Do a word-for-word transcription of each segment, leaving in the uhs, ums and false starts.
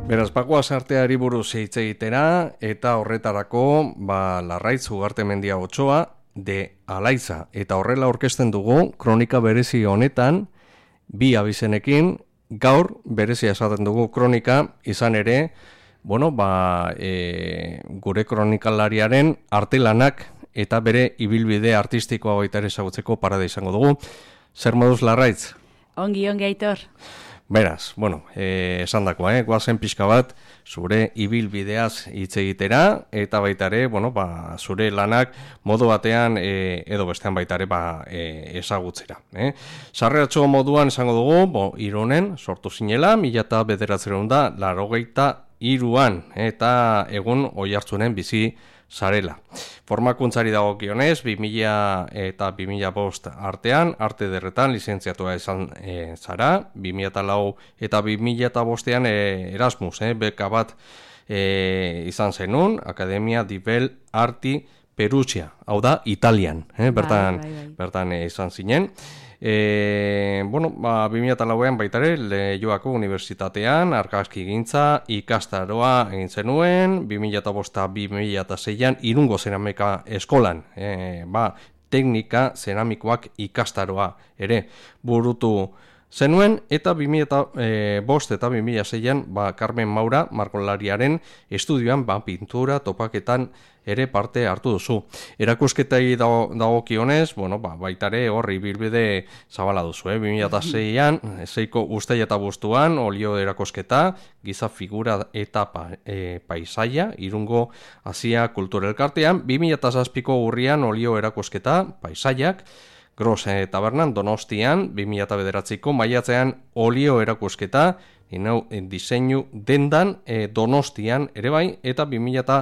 Beraz, bagoaz arteari buruz hitz egitera, eta horretarako, ba, Larraitz Ugartemendia Otsoa, de Alaiza. Eta horrela aurkezten dugu, kronika berezi honetan, bi abizenekin, gaur berezia esaten dugu kronika, izan ere, bueno, ba, e, gure kronikalariaren artelanak eta bere ibilbide artistikoa baita ere ezagutzeko parada izango dugu. Zer moduz, Larraitz? Ongi, ongi, Aitor. Beraz, bueno, eh, esan dakoa, eh, guazen pixka bat, zure ibilbideaz hitz egitera, eta baita ere, bueno, ba, zure lanak modu batean eh, edo bestean baita ere ba, eh, ezagutzera. Eh. Sarreratxo moduan esango dugu, bo, Irunen sortu zinela, mila eta bederatzerun da, larogeita iruan, eta egun Oiartzunen bizi zarela. Formakuntzari dagokionez, bi mila eta bi mila bost artean, arte derretan lizentziatua izan e, zara, bi mila eta lau eta bi mila eta bostean e, Erasmus, e, beka bat e, izan zenun, Akademia di Belle Arti Perugia, hau da, Italian, e, bertan, bai, bai, bai. bertan e, izan zinen. E, bueno, ba, bi mila eta lauean baitare Leioako Unibertsitatean argazki gintza ikastaroa egin zenuen, bi mila eta bost bi mila eta seian Irungo Zeramika Eskolan, e, ba, teknika zeramikoak ikastaroa ere burutu zenuen, eta bi mila eta bost eta bi mila seian ba, Carmen Maura margolariaren estudioan ba, pintura topaketan ere parte hartu duzu. Erakusketai dagokionez, bueno, ba, baitare horri bilbide zabala duzu, eh? bi mila eta seian, seiko usteia eta bustuan, olio erakusketa, giza figura eta pa, e, paisaia, Irungo Asia Kultura Elkartean, bi mila eta zazpiko urrian olio erakusketa, paisaiak, Gros Tabernan, Donostian, bi mila eta bederatziko maiatzean olio erakusketa, inau diseinu dendan e, Donostian ere bai, eta bi mila eta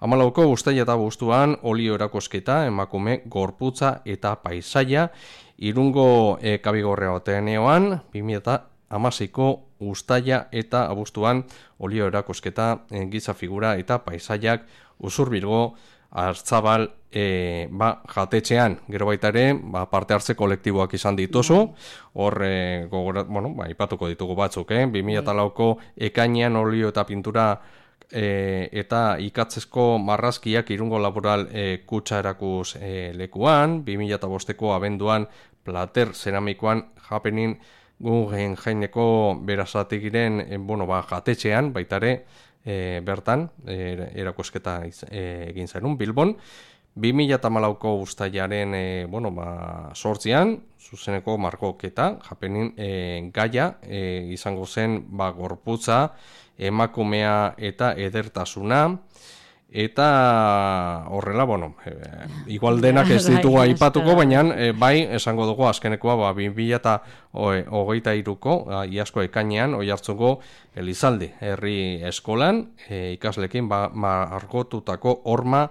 hamalauko usteia eta bustuan olio erakusketa, emakume gorputza eta paisaia, Irungo e, Kabigorrea Ateneoan, bi mila eta hamaseiko ustaia eta abuztuan olio erakusketa, e, giza figura eta paisaiak Usurbilgo Artzabal e, ba, jatetxean, gero baita ere, ba, parte hartze kolektiboak izan dituzu, hor, e, gogora, bueno, ba, ipatuko ditugu batzuk, eh? bi mila eta lauko ekainean olio eta pintura e, eta ikatzezko marrazkiak Irungo Laboral e, kutsa erakuz e, lekuan, bi mila eta bosteko abenduan plater zeramikoan japenin gugen jaineko berazategiren e, bueno, ba, jatetxean, baita ere, E, bertan, e, erakusketa e, egin zenun, Bilbon, bi mila eta hamalauko ustailaren e, bueno, ba, sortzian, zuzeneko margoketa, japenin e, gaia, e, izango zen ba, gorputza, emakumea eta edertasuna, eta horrela, bueno, e, igual denak ez ditugu aipatuko, baina e, bai, esango dugu azkenekoa, ba, bi mila eta hogeita hiruko, iazko ekainean, Oiartzungo Elizalde, herri eskolan, e, ikaslekin ba, margotutako horma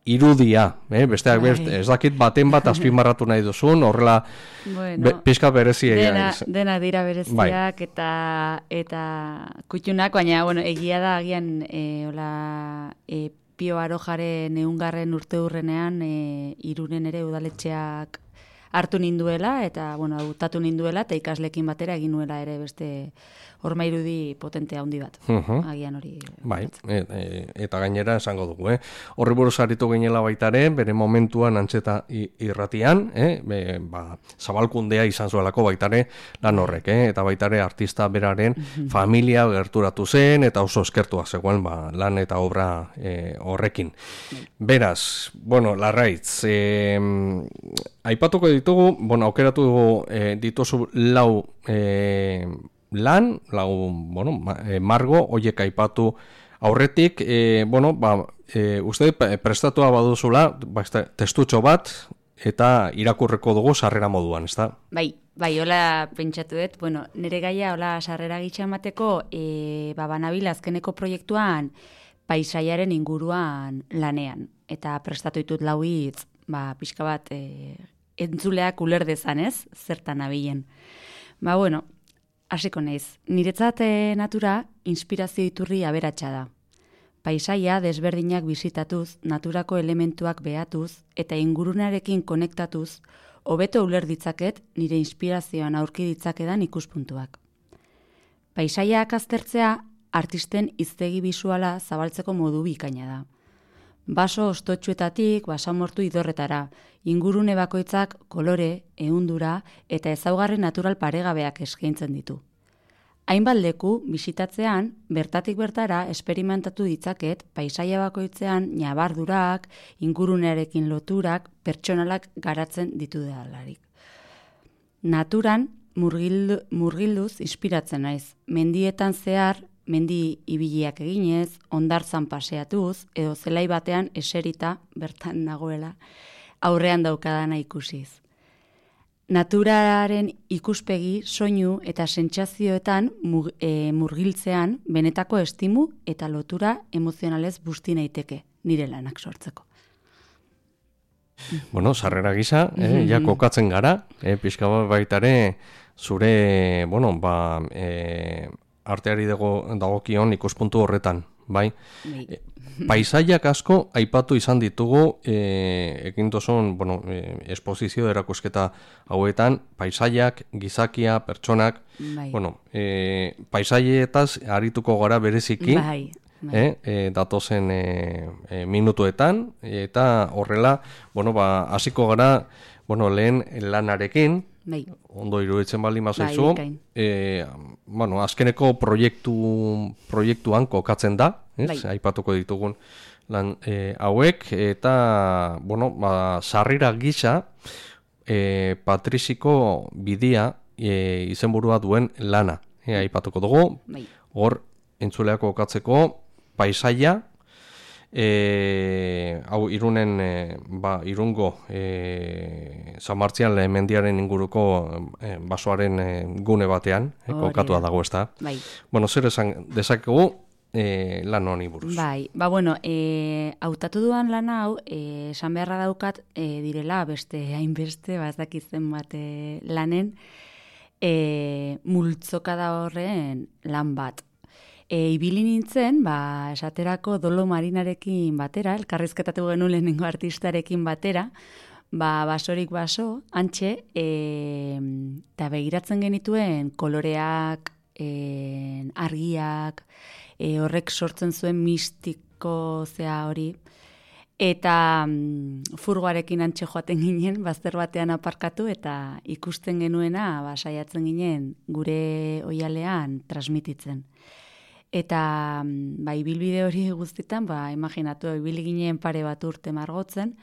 irudia, eh? Besteak best, ez dakit baten bat azpimarratu nahi duzun, horrela bueno, be, pixka berezia. Dena, dena dira bereziak bai. eta eta kutxunak, baina bueno, egia da agian e, hola, e, Pio Arojaren eungarren urte hurrenean e, Irunen ere udaletxeak hartu ninduela, eta bueno, hautatu ninduela, eta ikaslekin batera egin nuela ere beste horma irudi potente handi bat. Uh-huh. Agian hori. Bai, e, e, eta gainera esango dugu, eh? Horri buruz aritu ginela baitare, bere momentuan antzeta irratian, eh? Be, ba, zabalkundea izan zuelako baitare lan horrek, eh? Eta baitare artista beraren uh-huh. familia gerturatu zen, eta oso eskertua zegoen ba, lan eta obra eh, horrekin. Uh-huh. Beraz, bueno, Larraitz, eh, aipatuko ditugu, bueno, aukeratu eh, dituzu lau eh, lan, lau, bueno, margo, hoiek aipatu aurretik, e, bueno, ba, e, uste prestatua baduzula, ba, testutxo bat, eta irakurreko dugu sarrera moduan, ez da? Bai, bai, hola pentsatu dut, bueno, nire gaia, hola sarrera gitxa emateko, e, ba, banabil azkeneko proiektuan, paisaiaren inguruan lanean, eta prestatu ditut lau hitz, ba, pixka bat, e, entzuleak uler dezan, ez? Zertan abilen. Ba, bueno, hasiko naiz. Niretzat natura inspirazio iturri aberatsa da. Paisaia desberdinak bisitatuz, naturako elementuak behatuz eta ingurunarekin konektatuz, hobeto uler ditzaket nire inspirazioan aurki ditzakedan ikuspuntuak. Paisaiak aztertzea artisten hiztegi bisuala zabaltzeko modu bikaina da. Baso ostotsuetatik basamortu idorretara, ingurune bakoitzak kolore, ehundura eta ezaugarri natural paregabeak eskaintzen ditu. Hainbat leku bisitatzean, bertatik bertara esperimentatu ditzaket paisaia bakoitzean ñabardurak, ingurunearekin loturak, pertsonalak garatzen ditu delarik. Naturan murgildu, murgilduz inspiratzen naiz. Mendietan zehar, mendi ibiliak eginez, hondartzan paseatuz, edo zelai batean eserita bertan nagoela, aurrean daukadana ikusiz. Naturaren ikuspegi, soinu eta sentsazioetan mug, e, murgiltzean benetako estimu eta lotura emozionalez busti naiteke nire lanak sortzeko. Bueno, sarrera gisa, eh, ja kokatzen gara, eh, pixka bat baitare zure, bueno, ba, eh, arteari dago, dagokion ikuspuntu horretan, bai? E, paisaiak asko aipatu izan ditugu, e, ekin tozun, bueno, e, esposizio erakusketa hauetan, paisaiak, gizakia, pertsonak, bai. Bueno, e, paisaietaz arituko gara bereziki, bai, bai. E, e, datozen e, e, minutuetan, eta horrela, bueno, ba, hasiko gara, bueno, lehen lanarekin, bai. Ondo iruditzen baldin bazaizu, bai, e, bueno, azkeneko proiektu, proiektuan kokatzen da, ez? Bai. Aipatuko ditugun lan e, hauek, eta, bueno, ba, sarrira gisa, e, Patriziko bidia e, izenburua duen lana, e, aipatuko dugu, bai. Hor, entzuleak kokatzeko, paisaia, E, hau Irunen e, ba, Irungo e, San Martzian mendiaren inguruko e, basoaren e, gune batean e, kokatua dago, ezta? Bai. Bueno, zer esan dezakegu e, lan honi buruz? Bai, ba bueno, e, hautatu duan lan hau, e, esan beharra daukat e, direla beste hainbeste, ba ez dakit zenbat e, lanen e, multzoka da horren lan bat. E, ibili nintzen, ba, esaterako Dolo Marinarekin batera, elkarrizketatu genuen lehenengo artistarekin batera, ba, basorik baso, antxe, eta begiratzen genituen koloreak, e, argiak, e, horrek sortzen zuen mistiko zea hori, eta mm, furgoarekin antxe joaten ginen, bazter batean aparkatu, eta ikusten genuena, ba, saiatzen ginen, gure oialean transmititzen. Eta ba, ibilbide hori guztitan, ba, imaginatu, ibili ginen pare bat urte margotzen,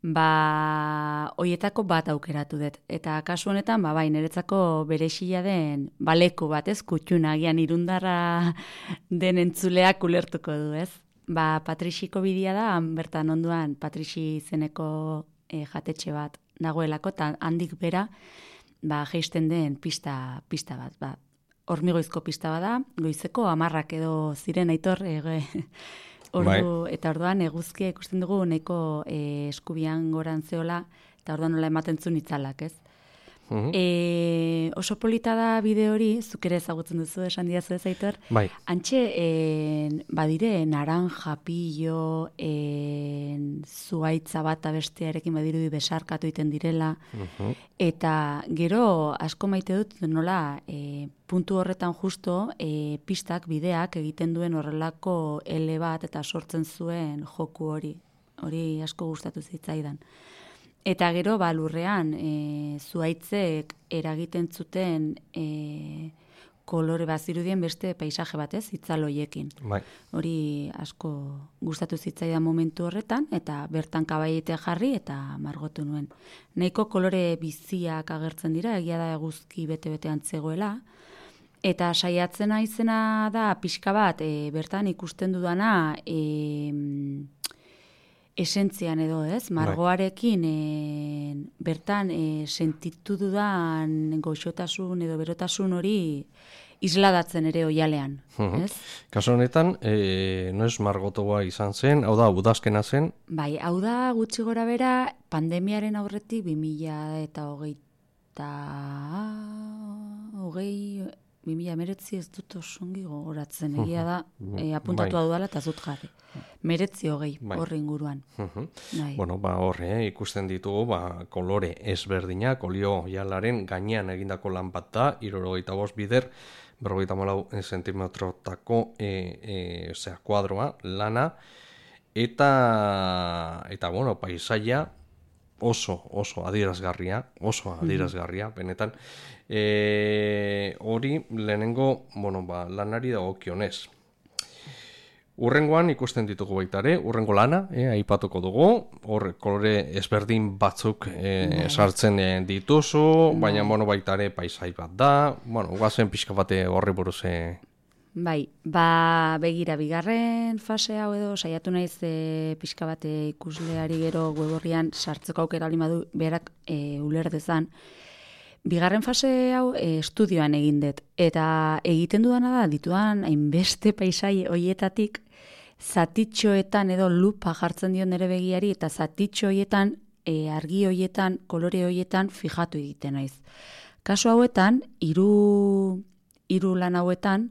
ba, hoietako bat aukeratu dut. Eta kasu honetan, ba, bai, niretzako berexila den baleku bat, ez, kutxuna, agian irundarra den entzuleak ulertuko du, ez? Ba, Patriziko bidia da, bertan onduan Patrizi izeneko e, jatetxe bat dagoelako, eta handik bera, ba, jeisten den pista, pista bat, ba, hormigoizko pista bada, goizeko hamarrak edo ziren Aitor, e, ordu, bai. Eta orduan eguzkia ikusten dugu nahiko e, eskubian goran zeola, eta orduan nola ematen zuen itzalak, ez? Uh-huh. E, oso polita da bide hori, zuk ere ezagutzen duzu, esan diazu ez, Aitor? Bai. Antxe, en, badire, naranja, pillo, en, zuaitza bat bestearekin badirudi besarkatu iten direla, uh-huh. Eta gero asko maite dut nola e, puntu horretan justo e, pistak, bideak egiten duen horrelako ele bat eta sortzen zuen joku hori. Hori asko gustatu zitzaidan. Eta gero, ba, lurrean, e, zuaitzek eragiten zuten e, kolore bazirudien beste paisaje batez, itzaloiekin. Bai. Hori asko gustatu zitzaidan momentu horretan, eta bertan kabaiete jarri eta margotu nuen. Nahiko kolore biziak agertzen dira, egia da eguzki bete-betean zegoela, eta saiatzen naizena da pixka bat, e, bertan ikusten dudana, e, esentzian edo, ez? Margoarekin e, bertan e, sentitu dudan goxotasun edo berotasun hori isladatzen ere oialean, uh-huh. ez? Kaso honetan, e, noiz margotoa izan zen, hau da, udazkena zen? Bai, hau da gutxi gora bera pandemiaren aurretik bi mila eta hogeita hogei bi mila hemeretzi ez dut osongi gogoratzen, egia da, e, apuntatua dudala eta zut jarri. Meretzi hogei, horri inguruan. Bai. Bueno, ba, horre, eh, ikusten ditugu, ba, kolore ezberdinak, olio jalaren gainean egindako lan bat da, hirurogeita bost bider, berrogeita hamalau zentimetrotako e, e, zera, kuadroa, lana, eta, eta bueno, paisaia oso, oso adierazgarria, oso adierazgarria, benetan, e, hori lehenengo, bueno, ba, lanari dagokionez. Urrengoan ikusten ditugu baita ere, urrengo lana, eh, aipatuko dugu, hor kolore ezberdin batzuk eh, sartzen eh, dituzu, baina bueno, baita ere paisai bat da, bueno, guazen pixka bate horri buruz. Eh. Bai, ba begira bigarren fase hau edo saiatu naiz e, pixka bate ikusleari gero web sartzeko aukera baldin badu berak e, uler dezan. Bigarren fase hau e, estudioan egin dut, eta egiten dudana da, ditudan hainbeste paisai hoietatik, zatitxoetan edo lupa jartzen dion nere begiari, eta zatitxo hoietan, e, argi hoietan, kolore hoietan fijatu egiten naiz. Kasu hauetan, hiru hiru lan hauetan,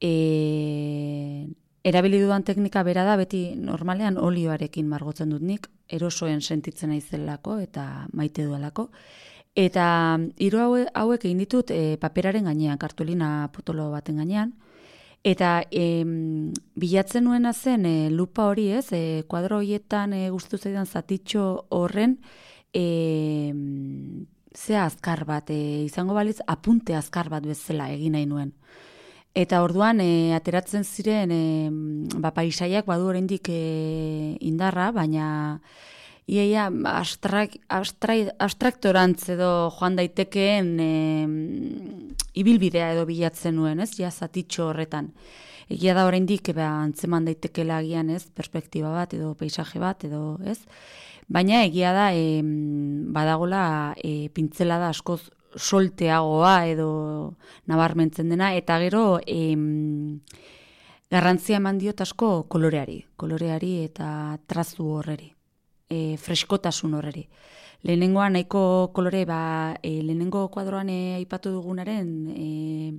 e, erabili dudan teknika bera da, beti normalean olioarekin margotzen dut nik, erosoen sentitzen naizelako eta maite duelako. Eta hiru hauek egin ditut e, paperaren gainean, kartulina potolo baten gainean, eta e, bilatzen nuena zen e, lupa hori ez, e, kuadro horietan e, gustu zaidan zatitxo horren e, zea azkar bat, e, izango balitz apunte azkar bat bezala egin nahi nuen. Eta orduan e, ateratzen ziren e, ba, paisaiak badu oraindik e, indarra, baina Iaia, abstrak, abstrak, abstraktorantz edo joan daitekeen e, ibilbidea edo bilatzen nuen, ez? Ja, zatitxo horretan. Egia da oraindik ba, antzeman daitekela agian, ez? Perspektiba bat edo paisaje bat edo, ez? Baina egia da e, badagola e, pintzela da askoz solteagoa edo nabarmentzen dena, eta gero e, garrantzia eman diot asko koloreari, koloreari eta trazu horreri. E, freskotasun horreri. Lehenengoa nahiko kolore, ba, e, lehenengo kuadroan e, aipatu dugunaren e,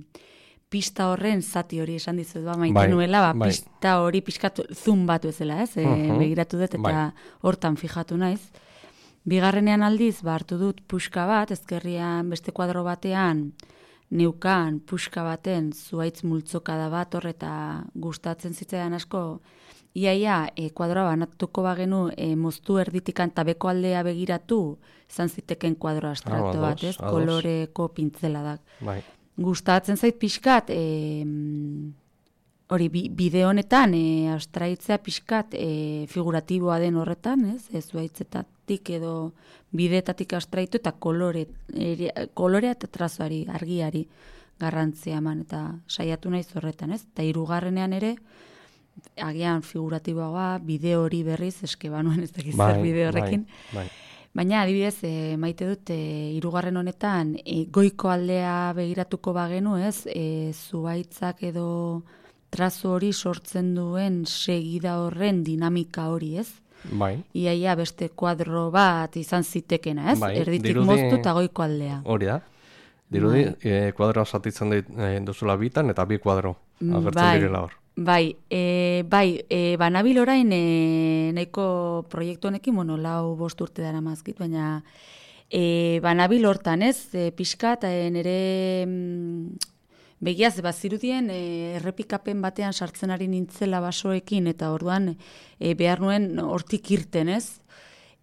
pista horren zati hori esan dizut, ba, maite bai, nuela, ba, bai. Pista hori pixkatu zoom batu ezela, ez? E, uh-huh. Begiratu dut eta bai. Hortan fijatu naiz. Bigarrenean aldiz, ba, hartu dut puxka bat, ezkerrian beste kuadro batean, neukan puxka baten zuaitz multzokada bat hor eta gustatzen zitzaidan asko. Iaia, e, kuadroa banatuko bagenu e, moztu erditikan tabeko aldea begiratu, izan ziteken kuadro abstrakto ah, bat, ez? Ados. Koloreko pintzeladak. Bai. Gustatzen zait pixkat, e, hori bide honetan, e, abstraitzea pixkat e, figuratiboa den horretan, ez? Ez zuaitzetatik edo bideetatik abstraitu eta kolore, e, kolorea eta trazoari, argiari garrantzia eman, eta saiatu naiz horretan, ez? Eta hirugarrenean ere, agian figuratiboa, bideo hori berriz, eske banuen ez dakiz zer bideo horrekin. Bai, bai. Baina, adibidez, e, maite dut, e, hirugarren honetan, e, goiko aldea begiratuko bagenu, ez, e, zuaitzak edo trazo hori sortzen duen segida horren dinamika hori, ez? Bai. Iaia beste kuadro bat izan zitekena, ez? Bai, erditik dirudi, moztu eta goiko aldea. Hori da. Dirudi, bai. e, kuadroa zatitzen duzula bitan, eta bi kuadro agertzen bai. Direla hor. Bai, e, bai, e, banabil orain e, nahiko proiektu honekin, bueno, lau bost urte dara mazkit, baina e, banabil hortan, ez, e, pixkat, e, nire mm, begiaz, bazirudien e, errepikapen batean sartzen ari nintzela basoekin, eta orduan e, behar nuen hortik irten, ez?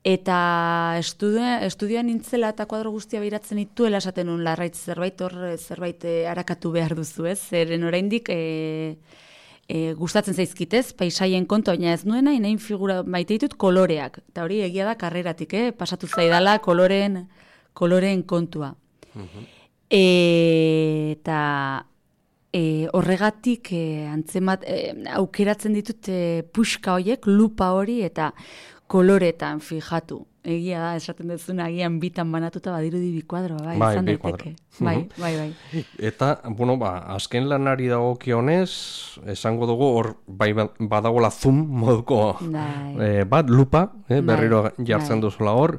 Eta estudia, estudioan nintzela eta kuadro guztia behiratzen dituela esaten nuen larraitz zerbait hor, zerbait e, arakatu behar duzu, ez? Zeren oraindik e, E, gustatzen zaizkitez, paisaien kontu, baina ez nuena, inain figura maite ditut koloreak. Eta hori egia da karreratik, eh? Pasatu zaidala koloreen, koloreen kontua. Uh-huh. E, eta e, horregatik e, antzemat, e, aukeratzen ditut e, puxka horiek, lupa hori, eta koloretan fijatu. Egia da, esaten duzuna, agian bitan banatuta badirudi bi kuadroa, bai, bai, izan bi daiteke. Bai, bai, bai. Eta, bueno, ba, azken lanari dagokionez, esango dugu, hor, bai, badagola zoom moduko, eh, bat, lupa, eh, berriro bai, jartzen bai. Duzula hor,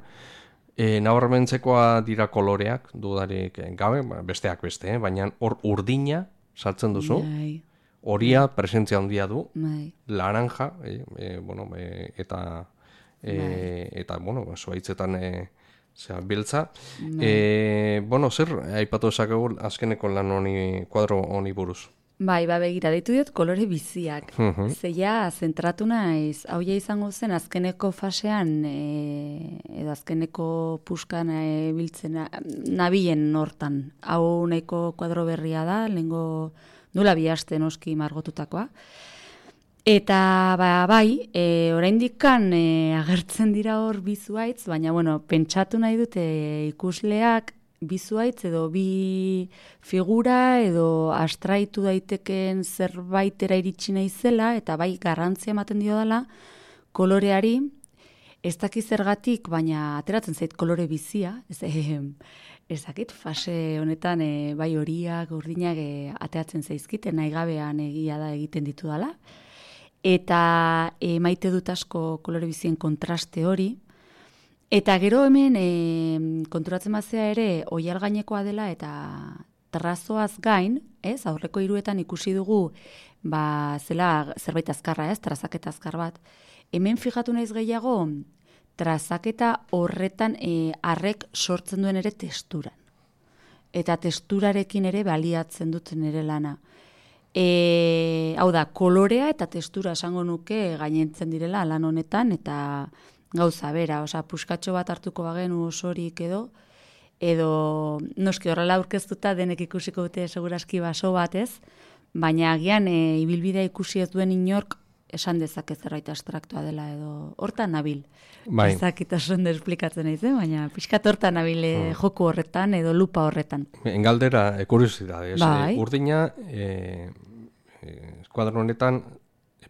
E, nabarmentzekoa dira koloreak, dudarik gabe, besteak beste, eh? Baina hor urdina sartzen duzu, Bai. horia presentzia handia du, Bai. laranja, e, e, bueno, e, eta e, eta bueno, zuaitzetan e, zera, biltza. E, bueno, zer aipatu esakegu azkeneko lan honi, kuadro honi buruz? Bai, ba, begira, deitu diot kolore biziak. Mhm. Zeia, zentratu naiz, hau ja izango zen azkeneko fasean, e, edo azkeneko puskan e, biltzen nabilen hortan. Hau nahiko kuadro berria da, lehengo nula bi aste noski margotutakoa. Eta ba, bai, e, oraindikan e, agertzen dira hor bi zuhaitz, baina bueno, pentsatu nahi dute ikusleak bi zuhaitz edo bi figura edo astraitu daiteken zerbaitera iritsi naizela eta bai garrantzia ematen dio dela koloreari, ez dakit zergatik, baina ateratzen zait kolore bizia, ez, eh, ez dakit fase honetan e, bai horiak, urdinak e, ateratzen zaizkiten, nahi gabean egia da egiten ditu dela. Eta e, maite dut asko kolore bizien kontraste hori. Eta gero hemen e, konturatzen bazea ere oial gainekoa dela eta trazoaz gain, ez, aurreko hiruetan ikusi dugu ba, zela zerbait azkarra, ez, trazaketa azkar bat. Hemen fijatu naiz gehiago trazaketa horretan e, arrek sortzen duen ere testuran. Eta testurarekin ere baliatzen dut nire lana. E, hau da, kolorea eta testura esango nuke gainentzen direla lan honetan, eta gauza bera, osea, puskatxo bat hartuko bagenu osorik edo, edo noski horrela aurkeztuta denek ikusiko dute seguraski baso bat ez, baina agian e, ibilbidea ikusi ez duen inork esan dezake zerbait abstraktua dela edo hortan nabil. Bai. Ezakit oso ondo esplikatzen naiz, eh? Baina pixkat hortan nabil e, joku horretan edo lupa horretan. Engaldera, e, kuriosidade, ez? Bai. E, urdina, e, e, kuadro honetan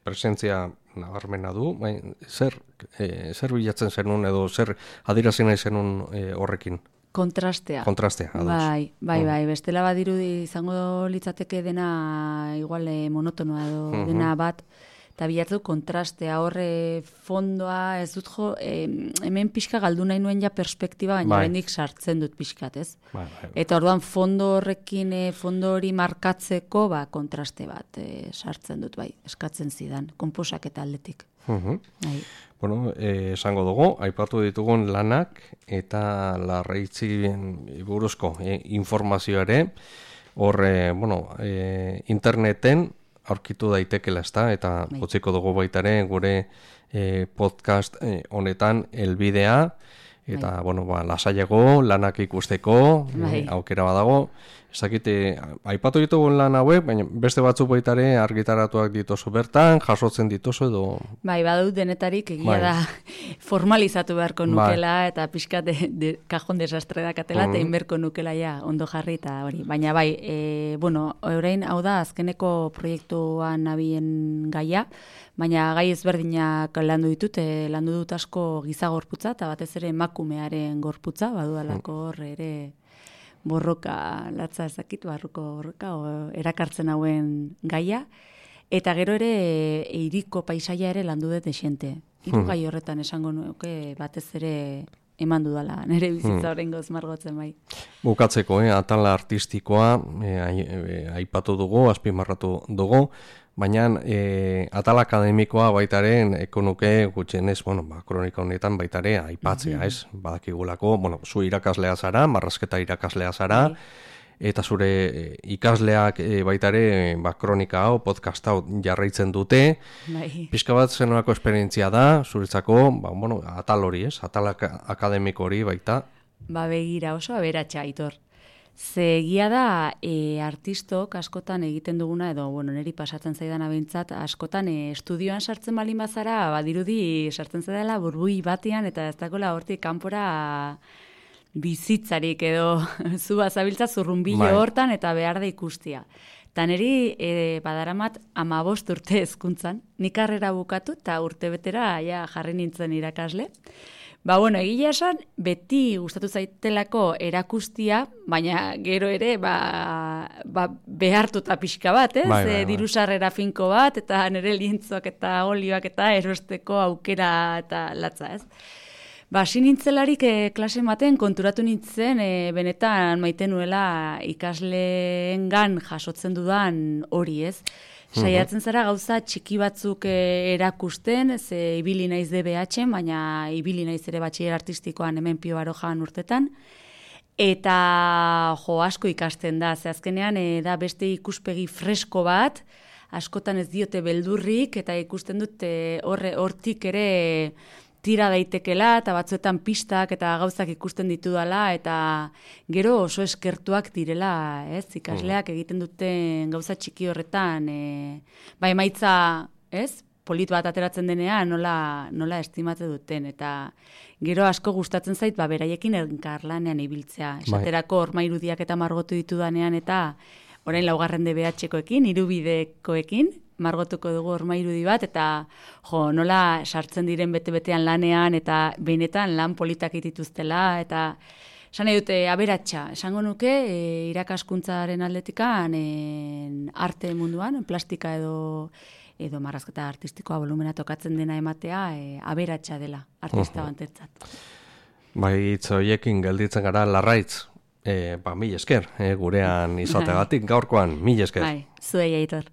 presentzia nabarmena du, bai, zer, e, zer bilatzen zenun edo zer adierazi nahi zenun e, horrekin? Kontrastea. Kontrastea, ados. Bai, bai, Mm. bai, bestela badirudi izango litzateke dena igual eh, monotonoa edo Mhm. dena bat, eta bilatu kontrastea horre fondoa, ez dut jo, eh, hemen pixka galdu nahi nuen ja perspektiba, baina Bai. oraindik sartzen dut pixkat, ez? Bai, bai. Eta orduan fondo horrekin, eh, fondo hori markatzeko, ba, kontraste bat eh, sartzen dut, bai, eskatzen zidan, konposaketa aldetik. Mhm. Bai. Bueno, eh, esango dugu, aipatu ditugun lanak eta larreitzien buruzko eh, informazio ere, hor, eh, bueno, eh, interneten aurkitu daitekela, ezta, eta Bai. utziko dugu baita ere gure eh, podcast eh, honetan helbidea, eta, bueno, ba, lasaiago, lanak ikusteko, Bai. eh, aukera badago. Ez dakit, eh, aipatu ditugun lan hauek, baina beste batzuk baita ere argitaratuak dituzu bertan, jasotzen dituzu edo... Bai, badut denetarik egia Bai. da formalizatu beharko Bai. nukela eta pixkat de, de, kajon desastre dakatela eta Mhm. inberko nukela ja ondo jarri eta hori. Baina bai, e, bueno, orain hau da azkeneko proiektuan nabien gaia, baina gai ezberdinak landu ditut, e, landu dut asko giza gorputza eta batez ere emakumearen gorputza, badudalako hor ere borroka latza ezakit, barruko borroka, o, erakartzen hauen gaia. Eta gero ere e, hiriko paisaia ere landu dut esente. Hiru gai horretan esango nuke batez ere eman dudala, nire bizitza oraingoz margotzen bai. Bukatzeko, eh, atala artistikoa eh, ai- eh, aipatu dugu, azpimarratu dugu, baina eh, atal akademikoa baitaren ekonuke gutxienez, bueno, ba, kronika honetan baitare aipatzea, ez? Badakigulako, bueno, zu irakaslea zara, marrazketa irakaslea zara, eta zure eh, ikasleak eh, baitare ba, kronika hau, podcast hau jarraitzen dute, Bai. pixka bat zenolako esperientzia da, zuretzako, ba, bueno, atal hori, ez? Atal aka- akademiko hori baita. Ba begira oso aberatsa Aitor. Ze egia da e, artistok askotan egiten duguna, edo bueno, niri pasatzen zaidan abintzat, askotan e, estudioan sartzen balin bazara, badirudi sartzen zaidala burbui batean, eta ez dagoela hortik kanpora bizitzarik edo zu bazabiltza zurrunbilo Bai. hortan eta behar da ikustia. Eta niri e, badaramat amabost urte hezkuntzan, nik karrera bukatu eta urte betera ja, jarri nintzen irakasle. Ba, bueno, egia esan, beti gustatu zaitelako erakustia, baina gero ere, ba, ba behartuta pixka bat, ez? Bai, bai, bai. E, diru sarrera finko bat, eta nire lientzoak eta olioak eta erosteko aukera eta latza, ez? Ba, hasi nintzelarik e, klase maten konturatu nintzen e, benetan maite nuela ikasleengan jasotzen dudan hori, ez? Saiatzen zara gauza txiki batzuk e, erakusten, ze ibili naiz D B H-en, baina ibili naiz ere batxiler artistikoan hemen Pio Barojan urtetan, eta jo asko ikasten da, ze azkenean e, da beste ikuspegi fresko bat, askotan ez diote beldurrik, eta ikusten dut e, horre, hortik ere tira daitekela, eta batzuetan pistak eta gauzak ikusten ditudala, eta gero oso eskertuak direla, ez, ikasleak egiten duten gauza txiki horretan, e, ba emaitza, ez, polit bat ateratzen denean, nola, nola estimate duten, eta gero asko gustatzen zait, ba, beraiekin elkarlanean ibiltzea, esaterako orma irudiak eta margotu ditudanean, eta orain laugarren D B H-koekin, hirubidekoekin, margotuko dugu orma irudi bat, eta jo, nola sartzen diren bete-betean lanean, eta benetan lan politak dituztela, eta esan nahi dute aberatsa, esango nuke, e, irakaskuntzaren aldetikan, e, arte munduan, plastika edo edo marrazketa artistikoa volumena tokatzen dena ematea, e, aberatsa dela artista bantetzat. Bai, hitz horiekin gelditzen gara Larraitz, e, ba, mil esker, e, gurean izategatik gaurkoan, mil esker. Bai, zuei Aitor.